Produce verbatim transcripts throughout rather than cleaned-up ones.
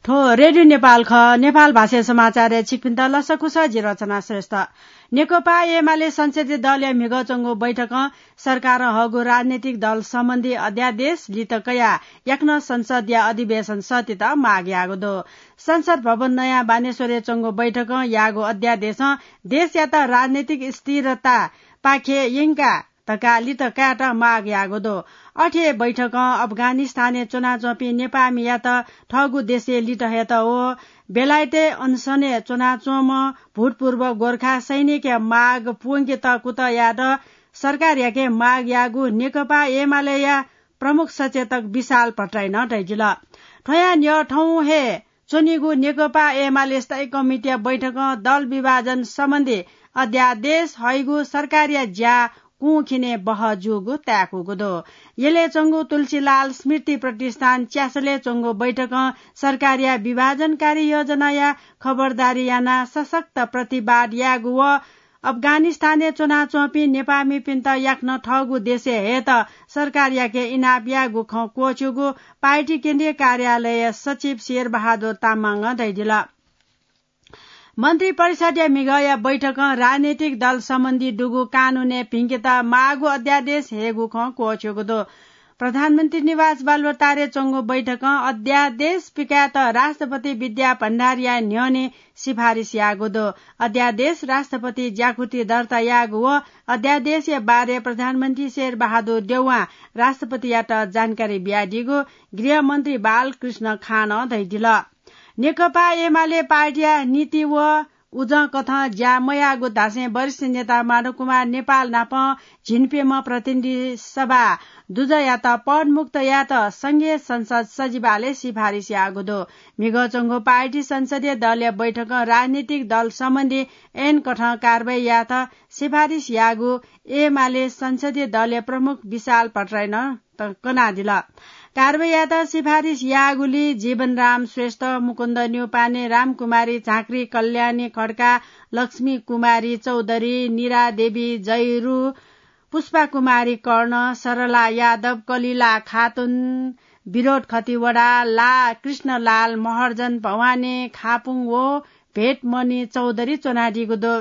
थ्व रेडियो नेपाल खः। नेपाल भाषाया समाचारय् छिकपिन्त लसकुस, जि रचना श्रेष्ठ। नेकपा एमाले संसदीय दलया म्हिगः च्वंगु बैठकं सरकारं हःगु राजनैतिक दल सम्बन्धी अध्यादेश लित कयाः याकनं संसदया अधिवेशन सःतेत माग याःगु दु। संसद भवन नयाँ बानेश्वरय् च्वंगु बैठकं याःगु अध्यादेशं देशयात राजनैतिक स्थिरता पाखे यंका धकाः लित कायेत माग याःगु दु। अथे बैठकं अफगानिस्तानय् च्वनाच्वंपिं नेपाःमियात थःगु देशय् लित हयेत व बेलायतय् अनसनय् च्वनाच्वंम्ह भूतपूर्व गोर्खा सैनिकया माग पूवंकेत कुतः यायेत सरकारयाके माग याःगु नेकपा एमालेया प्रमुख सचेतक विशाल भट्टराईं धयादिल। थ्वयां न्ह्यः थौं हे च्वनीगु नेकपा एमाले स्थायी कमिटीया बैठकं दल विभाजन सम्बन्धी अध्यादेश हइगु सरकारया ज्या कुंखिने बहः जूगु ताय्कूगु दु। यलय् च्वंगु तुलसीलाल स्मृति प्रतिष्ठान च्यासलय् च्वंगु बैठकं सरकारया विभाजनकारी योजनाया खबरदारी यानाः सशक्त प्रतिवाद यायेगु व अफगानिस्तानय् च्वनाच्वंपिं नेपाःमिपिन्त याकनं थःगु देशय् हयेत सरकारयाके इनाप यायेगु खँ क्वःछ्यूगु पार्टी केन्द्रीय कार्यालयया सचिव शेरबहादुर तामाङं धयादिल। मन्त्रिपरिषद्या म्हिगःया बैठकं राजनैतिक दल सम्बन्धी दुगु कानूनय् भिंकेत माःगु अध्यादेश हयेगु खँ क्वःछ्यूगु दु। प्रधानमन्त्री निवास बालुवाटारय् च्वंगु बैठकं अध्यादेश पिकायेत राष्ट्रपति विद्या भण्डारीया न्ह्यःने सिफारिस याःगु दु। अध्यादेश राष्ट्रपति ज्याकुथि दर्ता याःगु व अध्यादेशया बारे प्रधानमन्त्री शेरबहादुर देउवां राष्ट्रपतियात जानकारी बियादीगु गृहमन्त्री बालकृष्ण खानं धयादिल। नेकपा एमाले पार्टीया नीति व उजंकथं ज्या मयाःगु धासें वरिष्ठ नेता माधव कुमार नेपाल नाप झिंप्यम्ह प्रतिनिधि सभा दुजःयात पदमुक्त यायेत संघीय संसद सचिवालयय् सिफारिस याःगु दु। म्हिगः च्वंगु पार्टी संसदीय दलया बैठकं राजनीतिक दल सम्बन्धी ऐनकथं कारवाही यायेत सिफारिस याःगु एमाले संसदीय दलया प्रमुख विशाल भट्टराईं त-, कनादिल। कारवाही यायेत सिफारिस याःगुलिइ जीवनराम श्रेष्ठ, मुकुन्द न्यौपाने, रामकुमारी झाँक्री, कल्याणी खड्का, लक्ष्मी कुमारी चौधरी, निरा देवी जैरू, पुष्पा कुमारी कर्ण, सरला यादव, कलिला खातुन, विरोध खतिवडा, ला कृष्णलाल, महर्जन भवानी, खापुङ व भेटमणि चौधरी च्वनादीगु दु।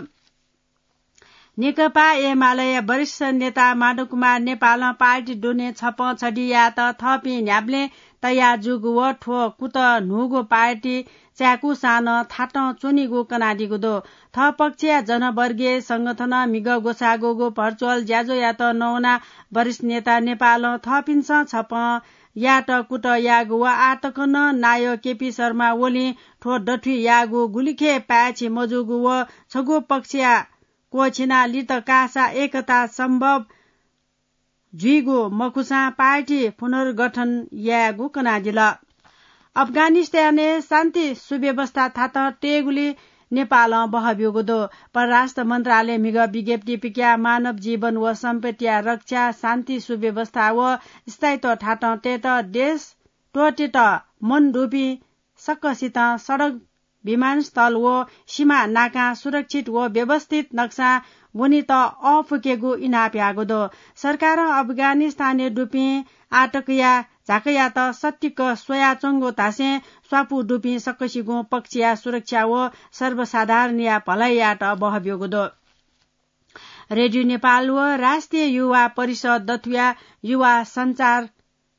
नेकपा एमालेया वरिष्ठ नेता माधव कुमार नेपालं पार्टी दुने छपं छधि यायेत थःपिं न्ह्याबलें तयार जूगु व थ्व कुतः न्हूगु पार्टी चाय्कूसां नं थातं च्वनीगु कनादीगु दु। थः पक्षया जनवर्गीय संगठनं म्हिगः ग्वसाःगुगु virtual ज्याझ्वःयात नवानाः वरिष्ठ नेता नेपालं थःपिन्सं छपं यायेत कुतः याःगु व आः तक नं नायः केपी शर्मा ओलीं थ्व दथुइ याःगु गुलिखे पाय्छि मजूगु व छगू पक्षया क्वःछिनाः लित काःसा एकता सम्भव जुइगु मखुसां पार्टी पुनर्गठन यायेगु कनादिल। अफगानिस्तानय् शान्ति सुव्यवस्था थातं तयेगुली नेपालं बहःब्यूगु दु। परराष्ट्र मन्त्रालयं म्हिगः विज्ञप्ति पिकयाः मानव जीवन व सम्पत्तिया रक्षा, शान्ति सुव्यवस्था व स्थायित्व थातं तयेत देश त्वःतेत मन दुपिं सकसितं सडक, विमानस्थल व सीमा नाकां सुरक्षित व व्यवस्थित नक्सां वनेत अःपुकेगु इनाप याःगु दु। सरकारं अफगानिस्तानय् दुपिं आतकया झाँक्रीयात सत्तिक स्वयाच्वंगु धासें स्वापू दुपिं सकसिगुं पक्षया सुरक्षा व सर्वसाधारणया भलाइयात बहःब्यूगु दु। रेडियो नेपाल व राष्ट्रिय युवा परिषद दथुया युवा सञ्चार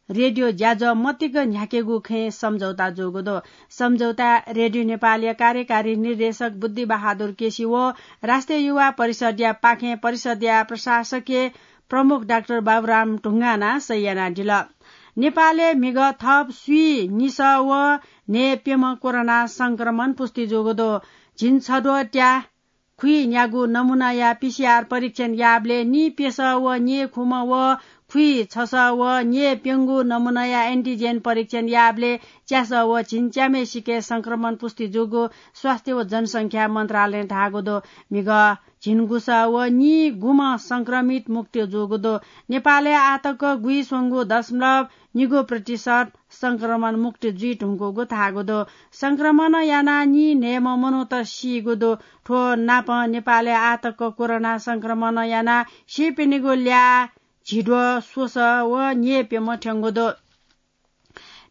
रेडियो ज्याझ्वः मतिक न्ह्याकेगु खँय् सम्झौता जूगु दु। सम्झौता रेडियो नेपालया कार्यकारी निर्देशक बुद्धिबहादुर केसी व राष्ट्रिय युवा परिषदया पाखें परिषदया प्रशासकीय प्रमुख डाक्टर बाबुराम ढुङ्गानां सही यानादिल। नेपालय् म्हिगः थप स्वीनिसः व न्हय्प्यम्ह कोरोना संक्रमण पुष्टि जूगु दु। झिंछद्वः त्या खुइन्यागू नमुनाया पीसीआर परीक्षण याःबलय् नीप्यसः व न्येखुम्ह व खुइछसः व न्येप्यंगू नमुनाया एन्टिजेन परीक्षण याःबलय् च्यासः व झिंच्याम्हय्सिके संक्रमण पुष्टि जूगु स्वास्थ्य व जनसंख्या मन्त्रालयं धाःगु दु। म्हिगः झिंगुसः व नीगुम्ह संक्रमित मुक्त जूगु दु। नेपालय् आःतक गुइस्वंगू दशमलव निगू प्रतिशत संक्रमण मुक्त जुइ धुंकूगु धाःगु दु। संक्रमण यानाः नीन्हय्म्ह मनूत सीगु दु। थ्व नापं नेपालय् आःतक कोरोना संक्रमण यानाः सीपिनिगु ल्याः झिद्वः स्वसः व न्येप्यम्ह थ्यंगु दु।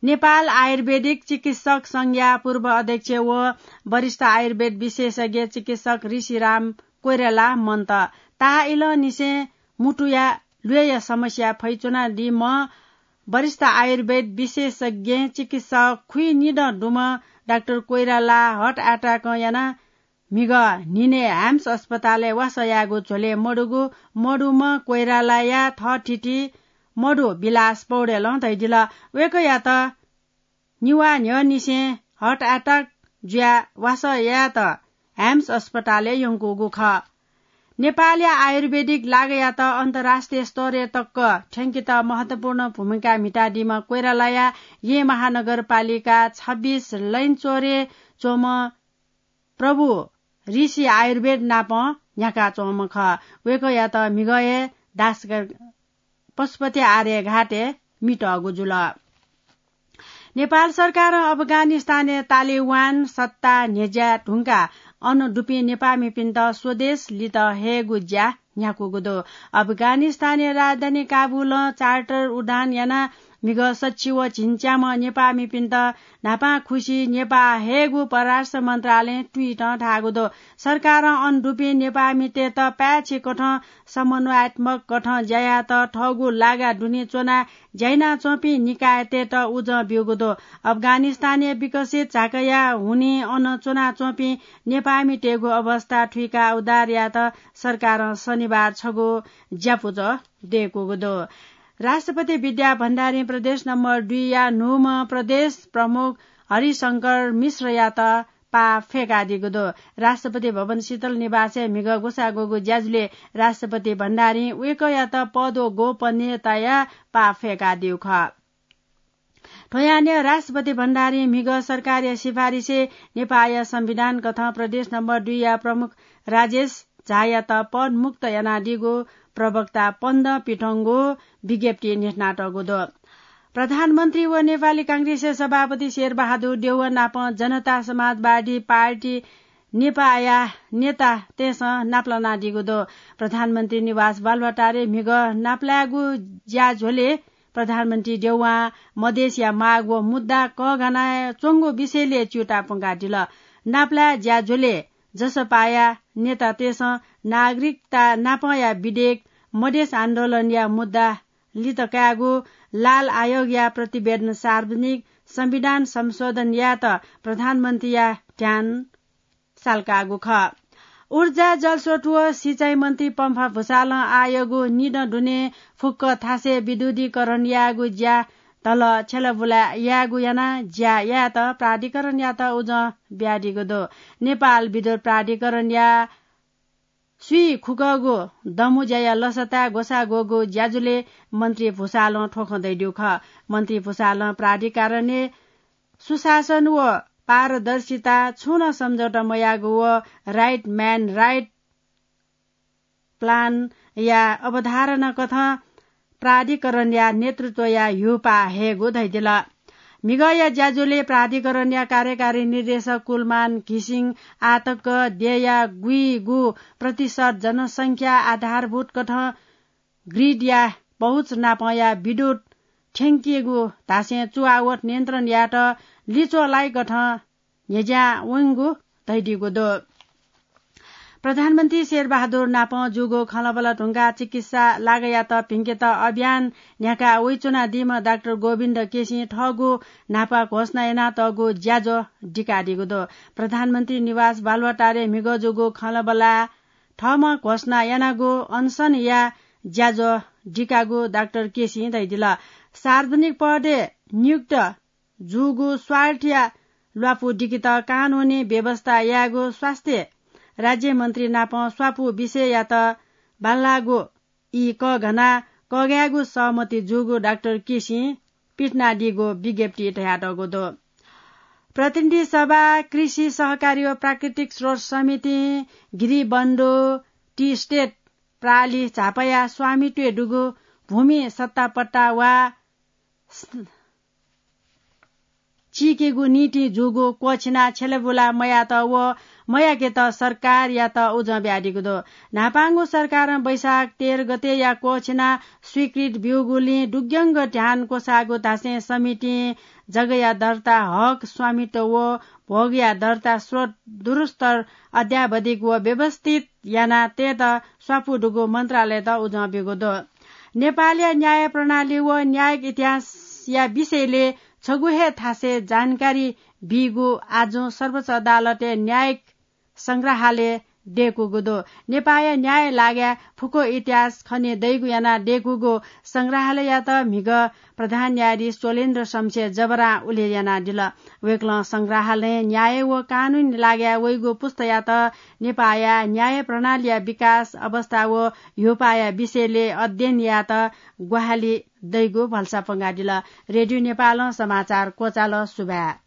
नेपाल आयुर्वेदिक चिकित्सक संघया पूर्व अध्यक्ष व वरिष्ठ आयुर्वेद विशेषज्ञ चिकित्सक ऋषिराम कोइराला मन्त। ताः इलंनिसें मुटुया ल्वय्‌या समस्या फैच्वनादीम्ह वरिष्ठ आयुर्वेद विशेषज्ञ चिकित्सक खुइनिदँ दुम्ह डाक्टर कोइराला heart attack यानाः म्हिगः न्हिनय् ह्याम्स अस्पतालय् वासः यायेगु झ्वलय् मदुगु, मदुम्ह कोइरालाया थःथिति मदु विलास पौडेलं धयादिल। वय्‌कःयात निवाः न्ह्यःनिसें heart attack जुयाः वासः यायेत ह्याम्स अस्पतालय् यंकूगु खः। नेपालया आयुर्वेदिक लागयात अन्तर्राष्ट्रिय स्तरय् तक थ्यंकेत महत्त्वपूर्ण भूमिका म्हितादीम्ह कोइरालाया येँ महानगरपालिका छब्बीस लैनचोरय् च्वंम्ह प्रभु ऋषि आयुर्वेद नाप न्ह्याकाच्वंम्ह खः। वय्‌कःयात म्हिगः हे दासगढ पशुपति आर्यघाटय् म्हितःगु जुल। नेपाल सरकारं अफगानिस्तानय् तालिबान सत्ता न्ह्यज्याये धुंकाः अन दुपिं नेपाःमिपिन्त स्वदेश लित हयेगु ज्या न्ह्याकूगु दु। अफगानिस्तानया राजधानी काबुलं चार्टर उडान यानाः म्हिगः सच्छि व झिंच्याम्ह नेपाःमिपिन्त न्हापांखुसी नेपाः हयेगु परराष्ट्र मन्त्रालयं ट्विटं धाःगु दु। सरकारं अन दुपिं नेपाःमितय्‌त पाय्‌छि कथं समन्वयात्मक कथं ज्या यायेत थःगु लागा दुने च्वनाः ज्या यानाच्वंपिं निकायतय्‌त उजं ब्यूगु दु। अफगानिस्तानय् विकसित झाँक्रीया हुनिं अन च्वनाच्वंपिं नेपाःमितय्‌गु अवस्था थुइकाः उद्धार यायेत सरकारं शनिबार छगू ज्यापुचः दय्‌कूगु दु। राष्ट्रपति विद्या भण्डारीं प्रदेश नम्बर दुईया न्हूम्ह प्रदेश प्रमुख हरिशंकर मिश्रयात पाः फ्यंकादीगु दु। राष्ट्रपति भवन शीतल निवासय् म्हिगः ग्वसाः ग्वःगु ज्याझ्वलय् राष्ट्रपति भण्डारीं वय्‌कःयात पद व गोपनीयताया पाः फ्यंकादीगु खः। थ्व यानय् राष्ट्रपति भण्डारीं म्हिगः सरकारया सिफारिसय् नेपाःया संविधान कथं प्रदेश नम्बर दुईया प्रमुख राजेश झायात पदमुक्त यानादीगु प्रवक्ता पन्द पिथंगु विज्ञप्ति न्ह्यथनातःगु दु। प्रधानमन्त्री व नेपाली कांग्रेसया सभापति शेरबहादुर देउवा नाप जनता समाजवादी पार्टी नेपाःया नेतातय्‌सं नापलानादीगु दु। प्रधानमन्त्री निवास बालुवाटारय् म्हिगः नापलायेगु ज्याझ्वलय् प्रधानमन्त्री देउवां मधेसया माग व मुद्दा कःघानाच्वंगु विषयलय् च्यूताः प्वंकादिल। नापलाये ज्याझ्वलय् जसपाया नेतातय्‌सं नागरिकता नापंया विधेयक, मधेस आन्दोलनया मुद्दा लित कायेगु, लाल आयोगया प्रतिवेदन सार्वजनिक, संविधान संशोधन यायेत प्रधानमन्त्रीया ध्यान साल्कागु खः। ऊर्जा, जलस्रोत व सिँचाइ मन्त्री पम्फा भुसालं आःयागु निदँ दुने फुक्क थासय् विद्युतीकरण यायेगु ज्या धल छ्यलाबुला यायेगु यानाः ज्या यायेत प्राधिकरणयात उजं बियादीगु दु। नेपाल विद्युत प्राधिकरणया स्वीखुकःगु दमु ज्याया लसताय् ग्वसाः ग्वःगु ज्याझ्वलय् मन्त्री भुसालं थ्व खँ धयादीगु खः। मन्त्री भुसालं प्राधिकरणय् सुशासन व पारदर्शिता, छुं नं सम्झौता मयाःगु व right man right plan या अवधारणा कथं प्राधिकरणया नेतृत्वया ह्यूपाः हयेगु धयादिल। म्हिगःया ज्याझ्वलय् प्राधिकरणया कार्यकारी निर्देशक कुलमान घिसिङ आःतक देय्‌या गुइगु प्रतिशत जनसंख्या आधारभूत कथं grid या पहुँच नापंया विद्युत थ्यंकीगु धासें चुवावत नियन्त्रण यायेत लिच्वः लाइकथं न्ह्यज्यां वंगु धयादीगु दु। प्रधानमन्त्री शेरबहादुर नापं जूगु खँल्हाबल्हा धुंकाः चिकित्सा लागयात भिंकेत अभियान न्ह्याकाः वइच्वनादीम्ह डाक्टर गोविन्द केसीं थःगु न्हापा घोषणा यानातःगु ज्याझ्वः दिकादीगु दु। प्रधानमन्त्री निवास बालुवाटारय् म्हिगः जूगु खँल्हाबल्हा थःम्हं घोषणा यानागु अनसनया ज्याझ्वः दिकागु डाक्टर केसीं धयादिल। सार्वजनिक पदय् नियुक्त जूगु स्वार्थया ल्वापु दिकेत कानूनी व्यवस्था यायेगु स्वास्थ्य राज्यमन्त्री नाप स्वापू विषययात बांलाःगु ई कःघानाः कःघायेगु सहमति जूगु डाक्टर केसीं पिथनादीगु विज्ञप्ति धयातःगु दु। प्रतिनिधि सभा, कृषि सहकारी व प्राकृतिक स्रोत समितिं गिरिबन्धु टी स्टेट प्रालि झापाया स्वामित्वय् दुगु भूमि सत्तापट्टा वा चीकेगु निंतिं जूगु क्वःछिना छ्यलाबुला मयात व मयाकेत सरकारयात उजं बियादीगु दु। न्हापांगु सरकारं वैशाख तेह्र गतेया क्वःछिना स्वीकृत ब्यूगुलिं दुग्यंक ध्यान क्वसाःगु धासें समितिं जगया दर्ता, हक, स्वामित्व व भोगया दर्ता स्रोत दुरुस्तर अद्यावधिक व व्यवस्थित याना तयेत स्वापू दुगु मन्त्रालयत उजं ब्यूगु दु। नेपालया न्याय प्रणाली व न्यायिक इतिहासया विषयले छगू हे थासय् जानकारी बीगु आजुं सर्वोच्च अदालतय् न्यायिक संग्रहालय दय्कूगु दु। नेपाःया न्याय लागाय् फुक्क इतिहास खने दइगु यानाः दय्कूगु संग्रहालययात म्हिगः प्रधान न्यायाधीश चोलेन्द्र शमशेर जबरां उल्लेख यानादिल। वय्कलं संग्रहालयं न्याय व कानूनी लागाय् वइगु पुस्तायात नेपाःया न्याय प्रणालीया विकास अवस्था व ह्यूपाःया विषयले अध्ययन यायेत ग्वाहालि दइगु भलसा पंगादिल। रेडियो नेपालं समाचार क्वचाल। सुभाय्।